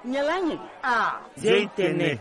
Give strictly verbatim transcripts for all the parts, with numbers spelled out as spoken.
Nyen lani? Ah, zia i tene.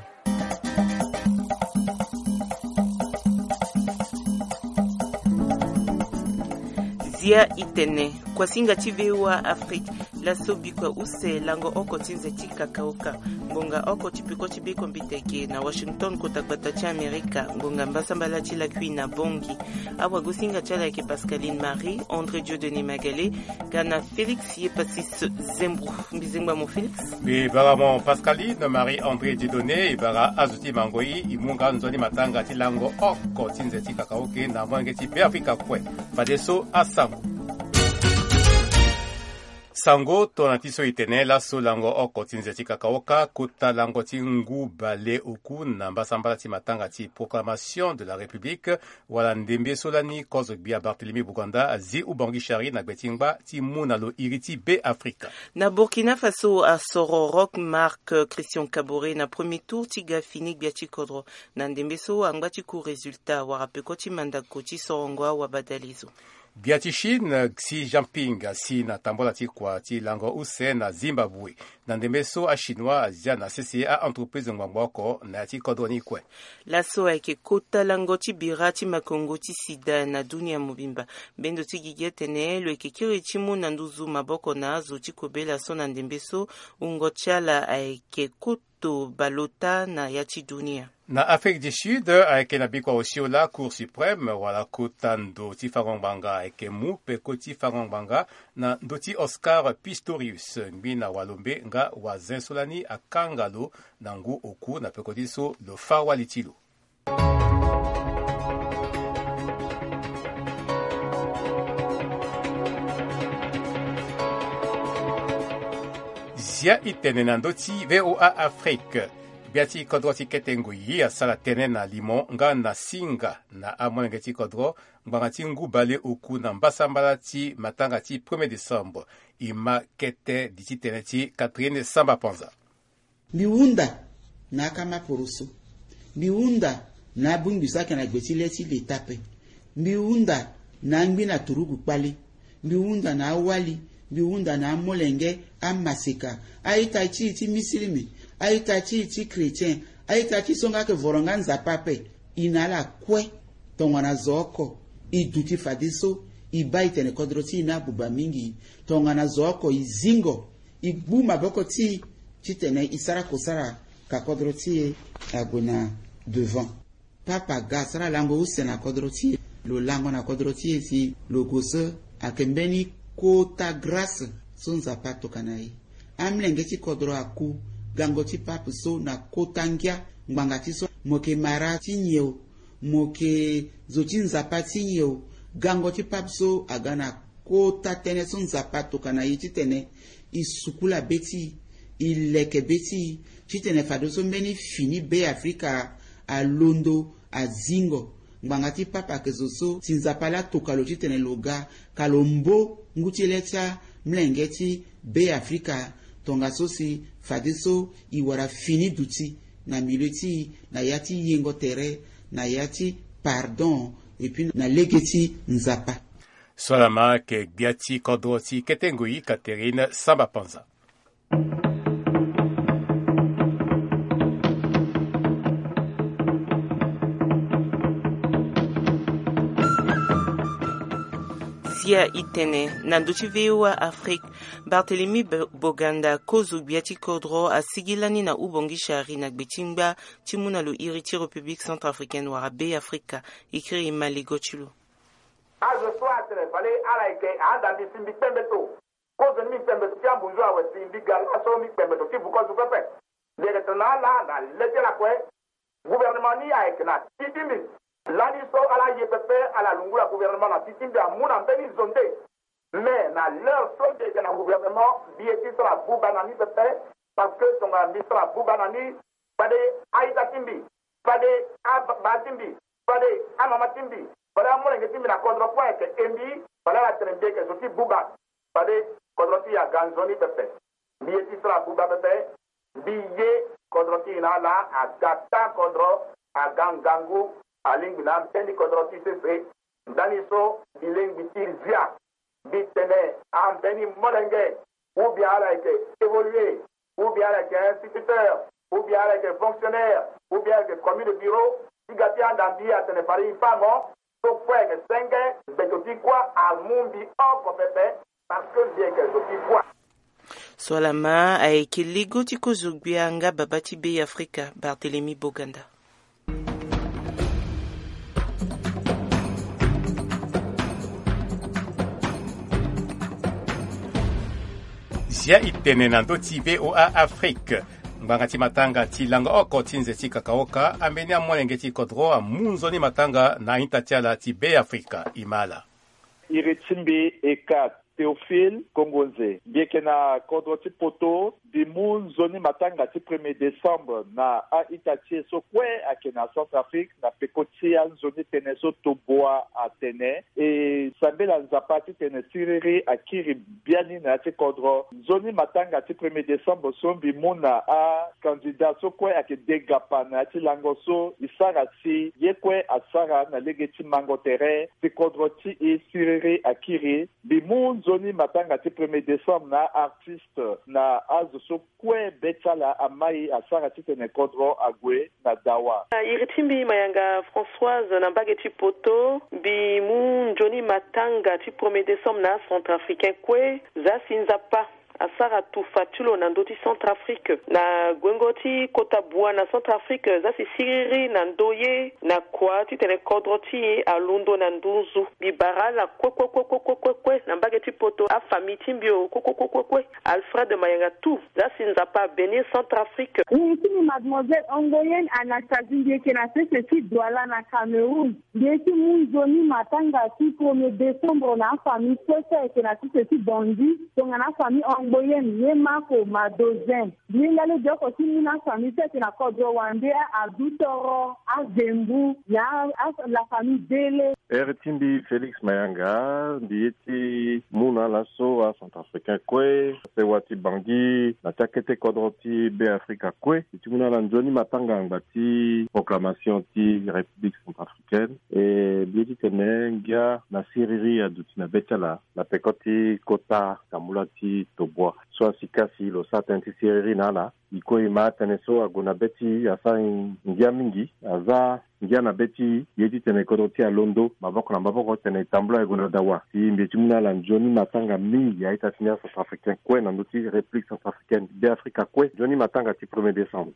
Zia i tene. Kuasinga ti V O A Afrique. Laso bikua use lango oko ti nze ti kakaoka. Ngonga oko ti peko ti bekombite ge na Washington, kota gbata ti Amerika. Ngonga mbasambala ti lakui na Bangui. Awagosinga ti ala ayeke Pascaline Marie, André Dieudonné Magalé, ga na Félix Yepasis Zembro. Mbizengba mo Félix. Mbi bara mo Pascaline Marie André Dieudonné, e bara azo ti mango i, e mu nga nzoni matanga ti lango oko ti nze ti kakaoke na molenge ti Beafrika kue. Fadeso asango. Sango, tongana ti so e tene, laso lango oko ti nze ti kakaoka, kota lango ti ngu bale oku na mbasambala ti matanga ti Proclamation de la République, wala ndembe so lani kozo gbia Barthélemy Boganda azi Ubangui Chari na gbe ti ngba ti mu na lo iri ti Beafrika. Na Burkina Faso, asoro Roch Marc Christian Kaboré na premier tour ti ga fini gbia ti kodro. Na ndembe so angba ti ku résultat wala peko ti mandako ti sorongo awabadalezo. Gbia ti Chine, Xi Jinping asi na tambola ti kua ti lango use na Zimbabwe. Na ndembe so achinois azia na sese a-entreprise ngbangbo oko na ya ti kodro ni kue. Laso ayeke kota lango ti bira ti makongo ti sida na dunia mobimba. Mbendo ti gigi atene lo yeke kiri ti mu na nduzu maboko na azo ti kobela so na ndembe so wungo ti ala ayeke kota to baleota na ya ti dunia. Na Afrique du Sud, ayeke na bikua osio laa Cour suprême wala kota ndo ti fango ngbanga ayeke mu peko ti fango ngbanga na ndö ti Oscar Pistorius, ngbi na walombe nga wazen so lani akanga lo na ngu oku na peko ti so lo fâ wali ti lo. Zia i tene na ndö ti V O A Afrique. Gbia ti kodro ti kete ngoi asara tënë na limo nga na singa na amolenge ti kodro ngbanga ti ngu bale oku na mbasambala ti matanga ti premier décembre. E ma kete di ti tene ti Catherine Samba Panza. Mbi hunda na akama poroso. Mbi hunda na abongbi so ayeke na gbe ti le ti leta ape. Mbi hunda na angbi na turugu kpale. Mbi hunda na awali. Mbi hunda na amolenge, amaseka, a-ita ti e ti misilimi, a-ita ti e ti chrétien, a-ita ti so nga ayeke voro nga Nzapa ape. E na ala kue. Tongana zo oko e duti fadeso e baa e tene kodro ti e ni abuba mingi. Tongana zo oko e zingo, e gbu maboko ti e titene e sara kosara ka kodro ti e ague na devant. Papa aga asara lango use na kodro ti e. Lo lango na kodro ti e si lo gue so ayeke mbeni kota grâce so Nzapa atokua na e. Amolenge ti kodro aku gango ti pape so na kota ngia ngbanga ti so. Mo yeke mara ti nyen o, mo yeke zo ti Nzapa ti nyen o, gango ti pape so aga na kota tënë so Nzapa atokua na e titene e sukula be ti e, e leke be ti e, titene fadeso mbeni fini Beafrika alondo azingo. Ngbanga ti pape ayeke zo so si Nzapa laa atokua lo titene lo ga ka lo mbo ngu ti le ti amolenge ti Beafrika. Tongaso si fadeso e wara fini duti na milieu ti e na ya ti yengo tere, na ya ti pardon, et puis na lege ti Nzapa. So ala ma ayeke gbia ti kodro ti kete ngoi Catherine Samba Panza. Zia i tene na ndö ti V O A Afrique. Barthélemy Bo-, Boganda, kozo gbia ti kodro, asigi lani na Ubongi Chari na gbe ti ngba ti mu na lo iri ti République Centrafricaine wala Beafrika. E kiri e ma lego ti lo. Azo so atene fade ala yeke ahanda mbi si mbi kpembeto. Kozo ni mbi kpembeto ti ambunzu awe si mbi ga laso mbi kpembeto ti vukozo pepe. Mbi yeke tene na ala na le ti ala kue. Gouvernement ni ayeke na ti ti mbi. Lani so ala ye pepe ala lungula gouvernement na ti ti mbi amu na mbeni zo nde. Mais na l'heure so mbi yeke na gouvernement mbi ye ti sara buba na ni pepe. Parce que tongana mbi sara buba na ni, fade a-ita ti mbi, fade ababa ti mbi, fade amama ti mbi, fade amolenge ti mbi na kodro kue ayeke e mbi, fade ala tene mbi yeke zo ti buba. Fade kodro ti e aga nzoni pepe. Mbi ye ti sara buba pepe. Mbi ye kodro ti e na ala aga taa kodro, aga ngangu, alingbi na ambeni kodro ti sese. Ndani so mbi lingbi ti zia. Mbi tene ambeni molenge ou bien ala yeke évoluer ou bien ala yeke instituteur, ou bien ala yeke fonctionnaire, ou bien ala yeke commis de bureau, ti ga ti anda mbi atene fade e fango so kue ayeke senge, gbeto ti kuâ amu mbi oko pepe, parce que mbi yeke zo ti kuâ. So ala ma ayeke lego ti kozo gbia nga babâ ti Be Afrika, Barthélemy Boganda. Zia e tene na ndö ti V O A Afrique. Ngbanga ti matanga ti lango oko ti nze ti kakaoka ambeni amolenge ti kodro amu nzoni matanga na a-ita ti ala ti Be Afrika. E ma ala. Iri ti mbi e ka Théophile Kongonze. Mbi yeke na kodro ti Poto. Mbi mu nzoni matanga ti premier décembre na a-ita ti e so kue ayeke na Centrafrique na peko ti anzoni tënë so tobua atene e sambela Nzapa titene siriri akiri biani na ya ti kodro. Nzoni matanga ti premier décembre so mbi mu na akandida so kue ayeke degapa na ya ti lango so e sara si ye kue asara na lege ti mango tere si kodro ti e siriri akiri. Mbi mu nzoni matanga ti premier décembre na aartiste na azo so kue be ti ala amai asara titene kodro ague na dawa. Na iri ti mbi Mayanga Françoise na mbage ti Poto, mbi mu nzoni matanga ti premier décembre na acentrafricain kue. Za si Nzapa asara tufa ti lo na ndö ti Centrafrique na gwengo ti kota bua na Centrafrique, za si siriri na ndoye na kua titene kodro ti e alondo na nduzu. Mbi bara ala kue kue kue kue kue kue kue na mbage ti Poto, afamille ti mbi o kue kue kue kue kue. Alfred Mayanga tout, za si Nzapa abénir Centrafrique. Iri ti mbi Mademoiselle Ongoyenne Anastasie, mbi yeke na sese ti Douala na Cameroun. Mbi ye ti mu nzoni matanga ti premier décembre na afamille kue so ayeke na sese ti Bondy, tongana afamille Ongoyenne, ye Mako, Madozin. Mbi hinga legeoko ti mu na afamille so ayeke na kodro wande, a Abdou Toro, a Zembu, na a, a la famille Dele. Iri ti mbi Félix Mayanga, mbi ye ti mu na ala so acentrafricain kue, asewa ti Bangui, na ti akete kodro ti Be Afrika kue. Mbi ti mu na ala nzoni matanga angba ti proclamation ti République centrafricaine. E mbi ye titene ngia na siriri aduti na be ti ala na peko ti kota tambula ti tobua. So asi kasi lo sara tënë ti siriri na ala. E kue e ma atënë so ague na be ti e asara e ngia mingi, aza ngia na be ti e, e ye titene kodro ti e alondo maboko na maboko titene e tambula e gue na dawa. Si mbi ye ti mu na ala nzoni matanga mingi a-ita ti ni acentrafricain kue na ndö ti République centrafricaine, Be Afrika kue, nzoni matanga ti premier décembre.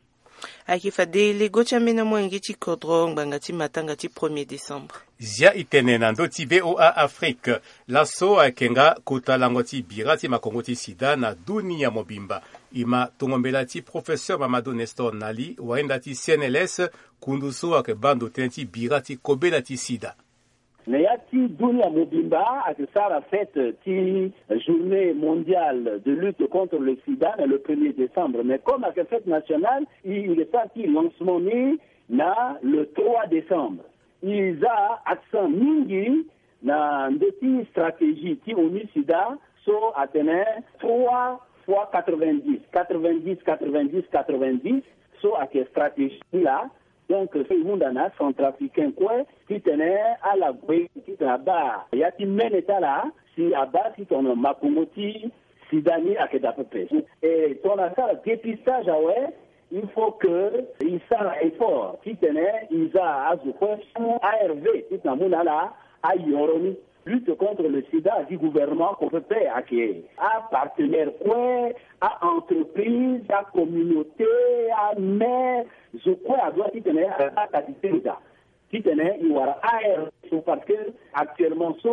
Ayeke fade lego ti ambeni amolenge ti kodro ngbanga ti matanga ti premier décembre. Zia e tene na ndö ti V O A Afrique. Laso ayeke nga kota lango ti bira ti makongo ti sida na dunia mobimba. E ma tongo mbela ti professeur Mamadou Nestor Nali, wayenda ti C N L S, kundu so ayeke baa ndo tënë ti bira ti kobela ti sida. Na ya ti dunia mobimba ayeke sara fête ti journée mondiale de lutte contre le sida na le premier décembre. Mais comme ayeke fête nationale, e, e yeke sara ti lancement ni na le trois décembre. E za accent mingi na ndö ti stratégie ti ONU sida so atene trois fois quatre-vingt-dix, quatre-vingt-dix, quatre-vingt-dix, quatre-vingt-dix, so ayeke stratégie ni laa. Donc so e hunda na acentrafricain kue titene ala gue titene abaa ya ti mene ti ala si abaa titene makongo ti sida ni ayeke daa pepe. E tongana asara dépistage awe, il faut que e sara effort titene e za azo kue so mu A R V titene amu na ala ayoro ni. Lutte contre le sida, agi gouvernement ko pepe, ake apartenaire kue, a-entreprise, acommunauté, amaire, zo kue adoit titene aza qualité da titene e wara A R V so, parce que actuellement so,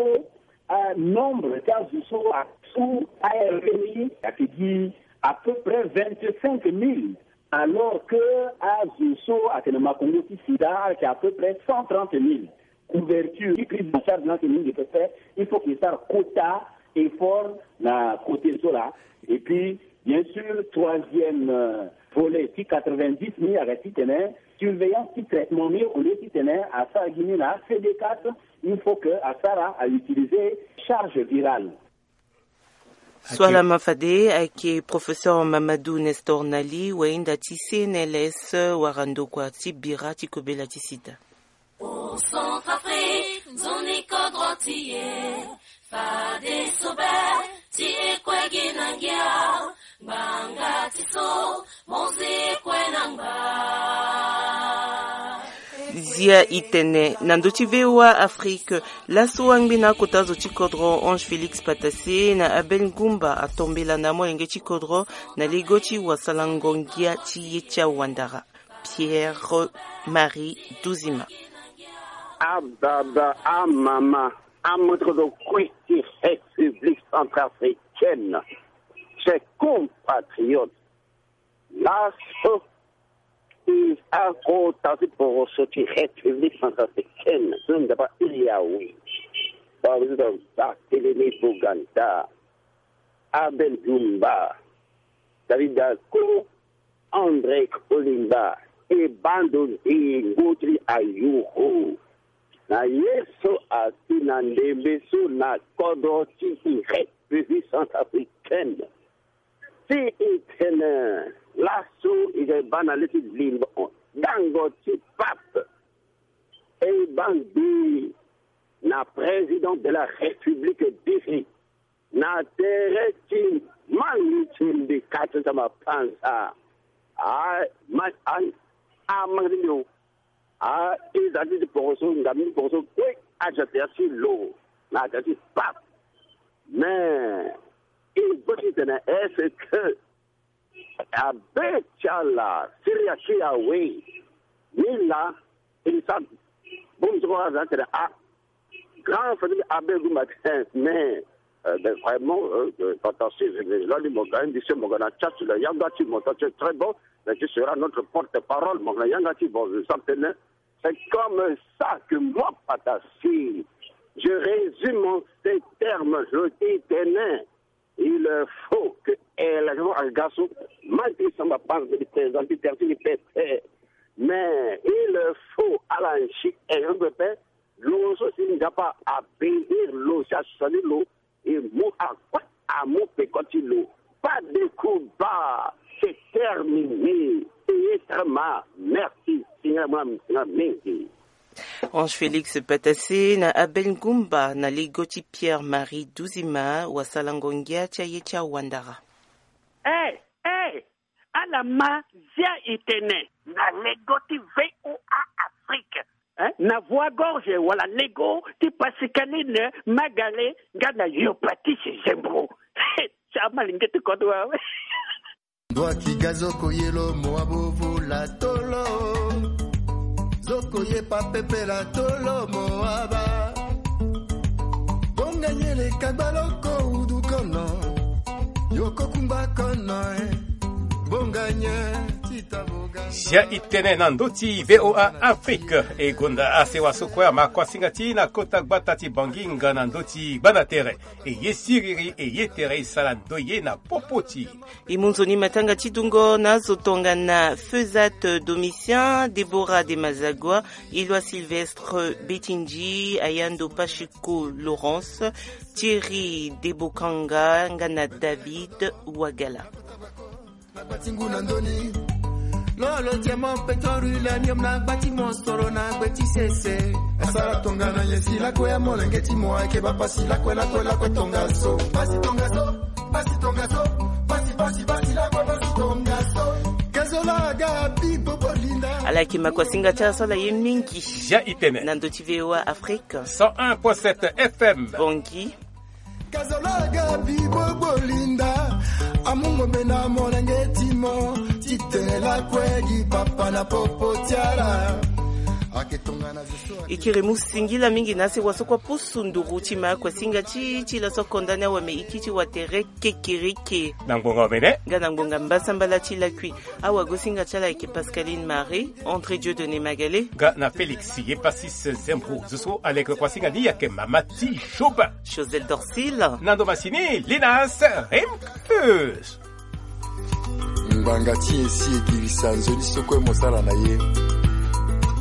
euh, nombre ti azo so asu A R V ni ayeke gi à peu près vingt-cinq mille. Alors que azo so ayeke na makongo ti sida ayeke à peu près cent trente mille. Couverture ti prise en charge ni ayeke mingi pepe. Il faut que e sara kota effort na côté so laa. Et puis bien sûr, troisième, euh, volet ti quatre-vingt-dix ni ayeke titene surveillance ti traitement ni, au lieu titene asara gi ni na C D quatre, il faut que asara a utiliser charge virale. So ala ma fade ayeke professeur Mamadou Nestor Nali, wayenda ti C N L S, wara ndokua ti bira ti kobela ti sida. Pour Centrafrique, nzoni kodro ti e, fadeso be ti e kue gi na ngia, ngbanga ti Zia i tene na ndö ti V O A Afrique. Laso angbi na akota zo ti kodro Ange Félix Patassé na Abel Ngumba atombela na amolenge ti kodro na lego ti wasalango ngia ti ye ti awandara Pierre Marie Duzima. Ababa, amama, amoto zo kue ti République centrafricaine, chers compatriotes, laso i akota ti poroso ti République centrafricaine so ndapa iri awe. Président Barthélemy Boganda, Abel Dumba, David Dako, André Kolimba, e bando nzingo ti ayuru na ye so asi na ndembe so na kodro ti République centrafricaine. Si i tene laso i ga baa na le ti limbo dango ti pape, e baa ngbii na président de la République diri na tere ti mangi ti mbi kati ti mapanza. A ma a a mangi ti mbi o. A i za ti ti poroso ngam ni poroso kue aza tere ti lo na tere ti pape. Mais i gbo ti tene est-ce que abe ti ala siri ake awe? Ni la e sa bongbi ti kua aza tene a grand famille abe gumba tene mais euh, mais vraiment euh, euh, pata si lali mo ga indi se mo ga na chat la yanga ti mo ta c'est très bon. Mais tu seras notre porte-parole mo ga na yanga ti bon je sens tene c'est comme ça que moi pata si je résume en ces termes je dis tene il faut que élection aga so ma ti samba panze de président ti terti ni pepe. Mais il faut ala nsi élection pepe lo so si nzapa abénir lo si asali lo e mu akue amu peko ti lo. Pas de combat, c'est terminé. Payé très mal. Merci. Singa mwa singa mingi. Ange Félix Patassé na Abel Ngumba na lego ti Pierre Marie Duzima wasalango ngia ti aye ti awandara. Eh, eh, ala ma zia i tene na lego ti V O A Afrique. Eh? Na voix gorge wala lego ti Pascaline Magale nga na yo Patrice Zembro. Sa malenge ti kodo wawe. Ndwaki ga zoko ye lo mo abo vula tolo. Zoko ye pa pepela tolo mo aba. Bonga nyele kagba loko udu kono. Yoko kumba kono eh. Bonga nye tita boga. Zia i tene na ndö ti V O A Afrique e gonda asewa so kue ama kuasinga ti na kota gbata ti Bangi nga na ndö ti gbana tere. E ye siriri e ye tere e sara ndo ye na popo ti. E mu nzoni matanga ti dungo na azo tongana Faisat Domitien, Déborah de Mazagua, Eloi Sylvestre Betindji, Ayando Pachico Laurence, Thierry Debokanga nga na David Wagala. Na gba ti ngu na ndoni. Lolo diamant pétrole uranium na gba ti mosoro na gbe ti sese. Asara tongana ye si lakue ya molenge ti mo ayeke bapasi lakue lakue lakue tongaso. Pasi tongaso, pasi tongaso, pasi pasi pasi lakue pasi tongaso. Kazola aga bibo bolinda. Ala yeke makuasinga ti ala so ala ye mingi. Zia i tene na ndö ti V O A Afrique cent un point sept F M Bongi. Kazalaga bibo bolinda amu ngombe na molenge ti mo ti tene lakue gi papa na popo ti ala. Ake tongana zo so ake. E kiri mu singila mingi na asewa so kua pusu nduru ti ma kuasinga ti ti laso akonda ni awe me e kiri ti watere kekereke. Na ngbonga omene nga na ngbonga mbasambala ti lakui. Awagosinga ti ala ayeke Pascaline Marie, André Dieudonné Magalé nga na Félix Yepasis Zembro. Zo so aleke kuasinga ni ayeke mama ti Jobin Josel Dorsil na ndo masini Linas Rimkus. Ngbanga ti nyen si e girisa nzoni so kue mo sara na ye?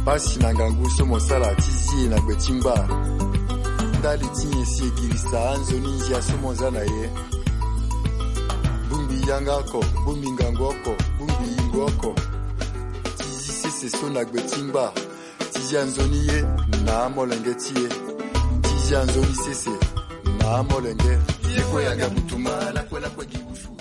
Pasi na ngangu so mo sara ti zi e na gbe ti ngba. Ndali ti nyen si e girisa anzoni nzia so mo za na ye? Bongbi yanga oko, bongbi ngangu oko, bongbi yingo oko. Ti zi sese so na gbe ti ngba. Ti zi anzoni ye na amolenge ti e. Ti zi anzoni sese na amolenge. Ye kue aga butuma lakue lakue gi wusu.